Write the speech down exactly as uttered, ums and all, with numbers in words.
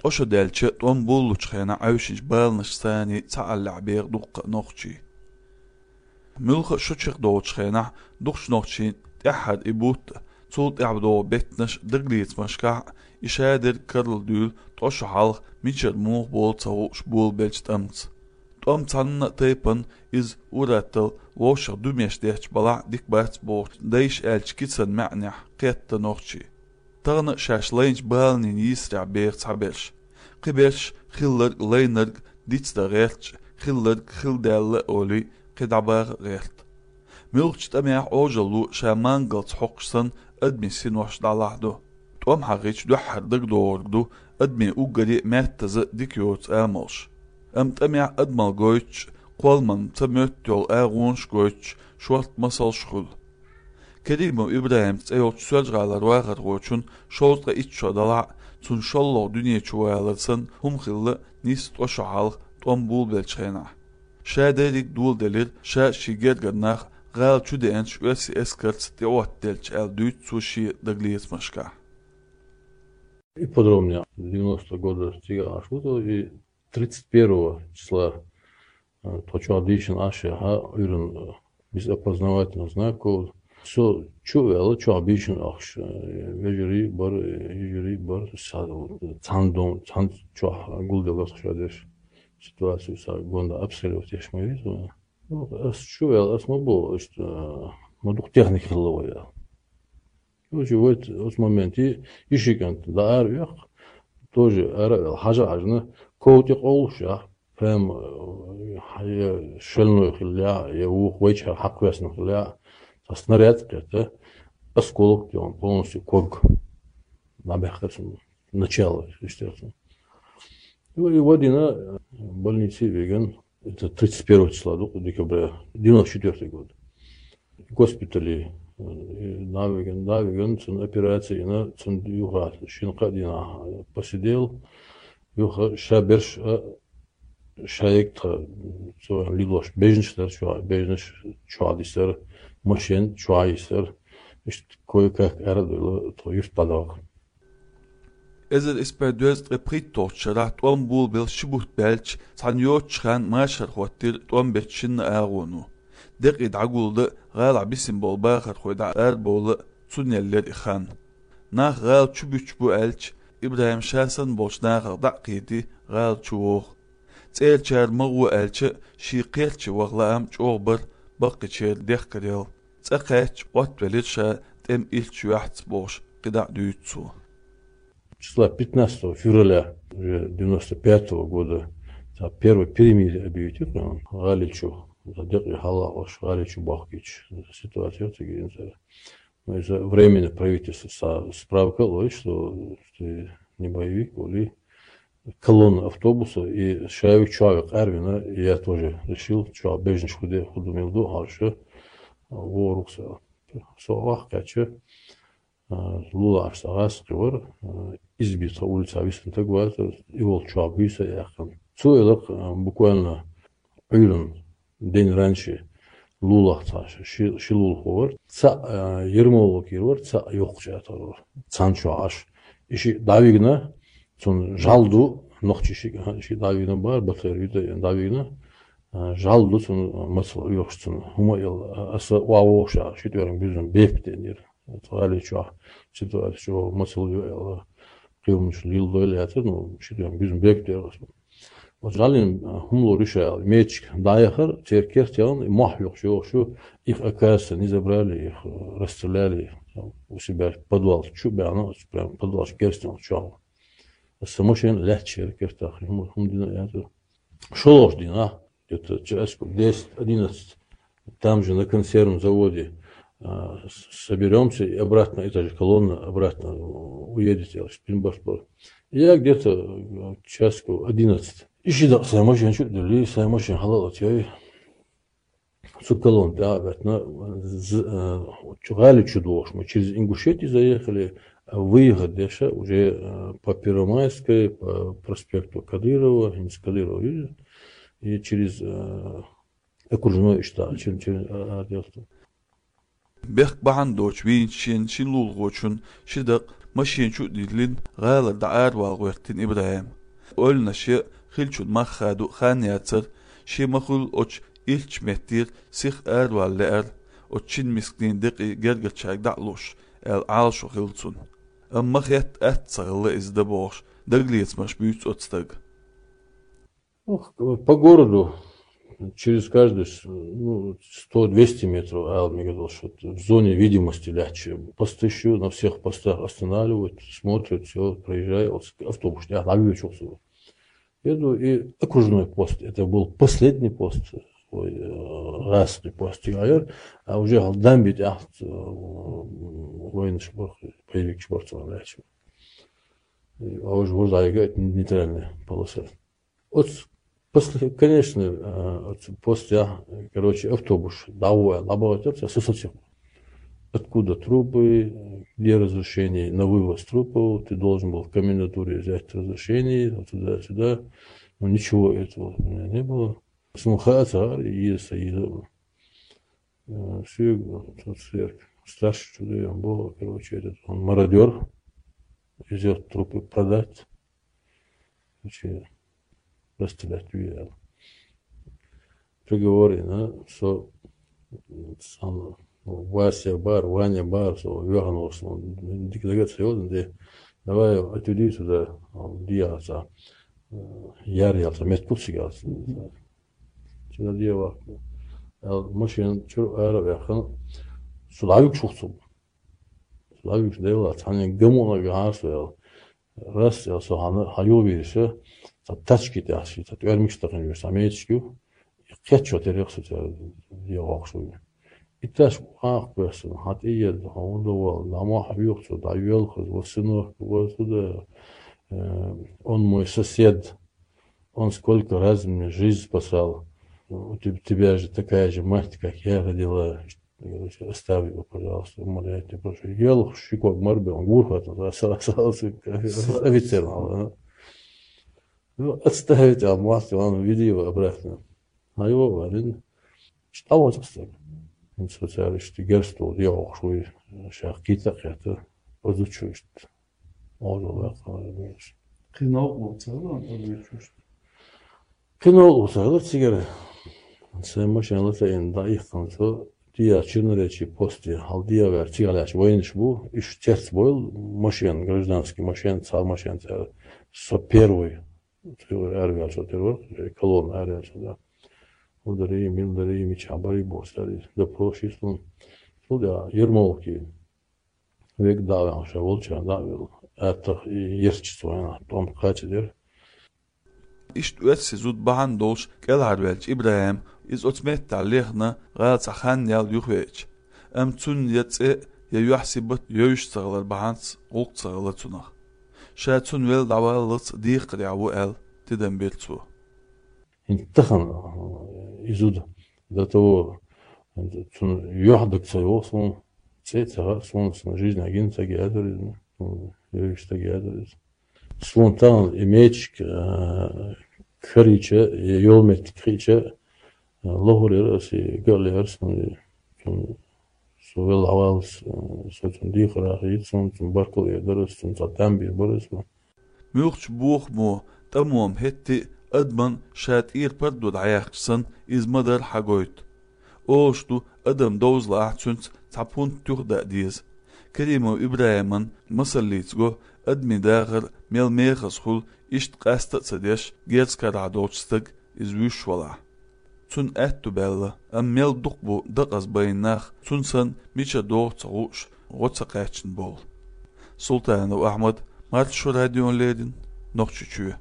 Ткъо шо даьлча, тӀом буллучу хенахь Ӏаьвшинчу баланаш саний цхьааллехь беха дуккха а нохчий. Муьлхха а шо чекхдолучу хенахь дукхачу нохчийн тӀаьххьара и бутт а, цул тӀаьхьа догӀу беттанаш а дагалецамашкахь а, и шадерг карладуьйлу ткъо шо хьалха мичара муха болу ца хууш болабеллачу тӀамца. ТӀом цхьанна а тайпана иза ур-атталла вовшах дуьмеш детташ балахь а дика бац бохучу дайша аьллачу кицан маьӀнехь кхетта нохчий. Тахана а шаьш лайначу баланийн йийсарехь беха цхьаберш. Кхиберш хилларг а, лайнарг а дицдан гӀерташ, хилларг хилла даьлла а олий, кхин дӀабаха а гӀерта. Муьлххачу тӀамехь Ӏожалло ша мангалца хьокхуш санна адамийн синош дӀалахьаду. ТӀом хьахийча дуьххьара дагадогӀург ду адамийн уггаре а меттаза а дика йоцу амалш. Амма тӀамехь адамалла гойтуш а, кхолламан ца моьтту йолу агӀонаш а гойтуш, шортта масалш а хуьлу. Керимов ИбрахӀим цӀе йолчу Соьлжа-ГӀалара вахархочун шовзткъе итт шо далахь а, цунна шолгӀа дуьне чу валар санна хӀума хилла нийсса ткъо шо хьалха тӀом булабеллачу хенахь. Шадерриг доладелира ша а, шен гергара нах а гӀала чу деанчу оьрсийн эскарца тӀеӀоттаделча аьлла, дуьйцу цо шен дагалецамашкахь. Ипподромнехь девяностого года цигахь Ӏаш ву со, и тридцать первого числа, э, тхо чохь дийшина Ӏаш яхьа, Ӏуьйранна, э, без опознавательных знаков. Со чу а ваьлла, чохь бийшина ахча, э, вежарий а бара, э, йижарий а бара, са-, цхьана дом, цхьана чохь гулделла тхо ша дерш. Ситуацию са гонда обстрелировать еш ма веза. Ну, ас чу а ваьлла, ас ма боху, иштта, э, ма дукха техника хилла вай аьлла. Короче, вот оцу моменте и ши кӀант дӀаара оьху, тоже ара а ваьлла, хьажа а хьаьжна, ков тӀе къовлуш яхь, прям, э, я шальной хилла яхь, я вукху вайчара хьакхоьссина хилла яхь, цхьа снаряд а кхетта, осколок тӀе полностью ког. ДӀабаьхкира цунна начало, естественно. И, и вадина, э, больнице виган, это тридцать первого числа ду-, декабря, девяносто четвёртый год. Госпитале, э, дӀавиган, дӀавиган, цунна операция йина, цунна юха шина-кхаа дийнахь посидел, юха ша берш а, ша егга тха, цо лилош бежнаш дара чохь, бежнаш чохь дисара, машен чохь йисара, иштта кое-как арадевлла, тхо юьрт дӀадахка. Эзар исс бӀе дезткъе пхийтталгӀачу шарахь тӀом булабелла ши бутт баьлча, цхьана йоццачу хенахь машар хӀоттийра тӀом бечу шинна агӀоно. Декъий дӀагулдан а, гӀалахь бисина болу бахархой дӀа арабовла а, цунна еллера и хан. Нах гӀала чу буьтуш бу аьлча, ИбрахӀим ша санна болчу нахах дӀа а кхетий, гӀала чу воху. ЦӀерачара ма гӀо аьлча а, шен кхерча ваха лаам чӀогӀа бара, баккхийчеран дехкарел. ЦӀа кхаьчча, Ӏоттавелира ша, тӀем иллачу юьхьца бохуш, кхидӀа а дуьйцу цо. Числа пятнадцатого февраля уже девяносто пятого года, цхьа первое перемирие объявить йира, гӀали чу, цхьа декъий хьалха ош гӀали чу бохкийча, ситуация цига инзара. Ну, из-за временное правительство са-, справка лой, что ты не боевик, вали. Колонна автобуса, и шави чуви къарвина, и я тоже решил, чуви бежнаш худе, худу милду, харша, ворукса. Со вах кача, а, лулаш са гас кивар, а, избица улица висан так ваза, и вол чуви биса яхан. Цу элак, а, буквально Ӏуьйранна день раньше лулах цхьа ши, ши лулахо вара. Цхьаъ, а, Ермолов кийра вара, цхьаъ Йоккхачу Ӏатар вара. Цхьана чохь Ӏаш. И шиъ дӀавигна, цунна жал ду, нохчи шиъ, а, и шиъ дӀавигна бара, батлер вита дӀавигна. А, жал ду цунна, мацал оьхуш цунна. ХӀума эл, а, аса охьавогӀуш а, ши тӀоьран буьзна бепа денира. ГӀали чохь ситуация чу мацал ю аьлла, кхийлмаш лил дойла яцара, ну, ши тӀоьран буьзна бепа дера аса. Вот жалин, а, хӀума лур ю ша аьлла, мечик дӀаяхар, церан керт яхана, и мохь юхуш йохуш ю, их, оказывается, не забрали, их, э, расстреляли, их, там, у себя подвал чу баьхна, прям подвал керстен чохь. Аса машина лаьтташ яра кертах, хӀума, хӀума дина яцара. ШолгӀачу дийнахь, где-то часиков десять-одиннадцать, там же на консервном заводе, а, с-, соберёмся и обратно, эта же колонна обратно уедет, я спинборд. Я где-то, э, часиков одиннадцать. И ши дакъа сайн машина чу а дуьллий, сайн машина хьала а латъяй. Цу колонна тӀе а баьттина, з-, э, чу гӀали чу дохуш, мы через Ингушетию заехали, а выехать дальше уже, э, по Первомайской, по проспекту Кадырова, хӀинца Кадырова вижу, и через, э, окружной иштта, через, через, э, отделство. Бехк бахьана доцуш вийначу шен шина лулахочун ши дакъа машен чу а диллина, гӀалара дӀа аравала гӀоьртина ИбрахӀим. Ойланаш ян хиллачун мах хадо а хан яцара, шен ма-хуьллу оцу ирчачу меттера сиха аравала лаьара, оцу шина мисканийн декъий гергарчаьрга дӀа а луш, аьлла, Ӏалашо хилла цунна. Амма ма хетта, атта ца хилла иза дан бохуш, дагалецамаш буьйцу оцу стага. Ну, по городу через каждые с- ну, сто-двести метров, а, мне казалось, вот в зоне видимости легче. Посты ещё на всех постах останавливают, смотрят, все, проезжает, вот автобус, я ловил чё. Еду, и окружной пост, это был последний пост, ой, э, раз не пост, а уже дамбит, а, э, военный шпор, боевик шпор, легче. А уже вот это нейтральная полоса. Вот после, конечно, э, вот после, а, короче, автобус, да, ой, лаборатория, со сосед. Откуда трупы, где разрешение на вывоз трупов, ты должен был в комендатуре взять разрешение, вот туда-сюда. Но ничего этого у меня не было. Смуха цар, и если, и, э, всё, тот сверх. Старший чудо, он был, короче, этот, он мародёр, везёт трупы продать. Короче, расстрелять велел. Приговорено, что сам Вася бар, Ваня бар, со вернулся, он дик дагаться, де, давай отведи сюда, он диаса, э, яр ялса, мет купсик ялса. Чина дева. Машин чур ара вяхан, сулавик шухсу. Лавикс дела, цхьана гамуна гахьарсвел. Рас я со хьана, хьан ю вирса, цхьа тачки тӀехь ши, цхьа тӀоьрмигаш тахана вирса, хьан мечки ю, и кхечо терехса ца йогӀохуш ву. И таш къакх весна, хьан тӀееда, хьан удовал, ламо хьан вюхцу, да йоьлхаз, ва сынок, ва суда, э, он мой сосед, он сколько раз мне жизнь спасал. У теб- тебя же такая же мать, как я родила. Короче, оставь его, пожалуйста, умоляю тебя, прошу. Ел шикок марбе, он гурхат, офицер надо. Ну, отставить, а мать, он веди его обратно. А его варен. Что вот остальное? Социалисты герстул, я охшуй, шах кита кета, позучусть. Оза вакха. Кхин новкъа ву ца хилла, оза ву чуьш. Кхин новкъа ву ца хилла цигара. Сайн машина латаина дӀаихкана со, дия Черноречий посте, хьал дия вер, цигара лаьш вайнаш бу, иш цец бойла машина, гражданский машина, цхьа машина цара. Со первый. Цигара арвел со первый, колонна арвел со, да. Удари, милдари, мича бари бо, стари, да прошу, слон. Слон, да, Ермолки. Век дӀа а ваьхна, ша волчарна дӀа а велла, аттах и ерча цо вайна, тӀом кхача дера. Иштта оьрсийн зуда бахьана долуш кӀелхьарваьлча ИбрахӀим, иза оцу меттехь лехна гӀала цхьа хан ял юхавеача. Амма цунна я цӀе, я юьхь-сибат йовзуш ца хилар бахьанца гӀуллакх ца хилла цунах. Ша цунна велла дӀаваллалц декхарехь ву аьлла, тидам бира цо. ХӀинца тахана, э, и зуда до того, цунна юьхь даг ца йогӀу суна, цӀе ца хаьа суна, сан жизнь агина ца геадар иза, сан йовзаш ца геадар иза. Суна тахана и мечик, э, карийча, я йолу меттиг хиъча, э, лохур яра аса, и гал яра суна, и цунна со велла дӀаваллалц, э, со цунна декхарехь хетта, суна цунна баркалла эр дара аса, цунна цхьа там бийр бара аса. Муьлххачу бохамо, тӀамо-м хӀетте а адаман ша тӀера пардо дӀаяьккхича санна, иза ма-дарра хьагойту. Олуш ду, адам довза лаахь, цуьнца цхьа пунт туьха даа деза. Керимов ИбрахӀиман масаллица го, адамийн дахар мел мехаза хуьлу, иштта къаста а ца деш, герз карахь долчу стага иза вуьйш валахь. Цунна аьтту баьлла, амма мел дукха бу дакъаза байна нах, цунна санна мичара догӀу ца хууш, гӀо ца кхаьчна болу. Султанов Ахьмад, Маршо радиона леррина, Нохчийчоь.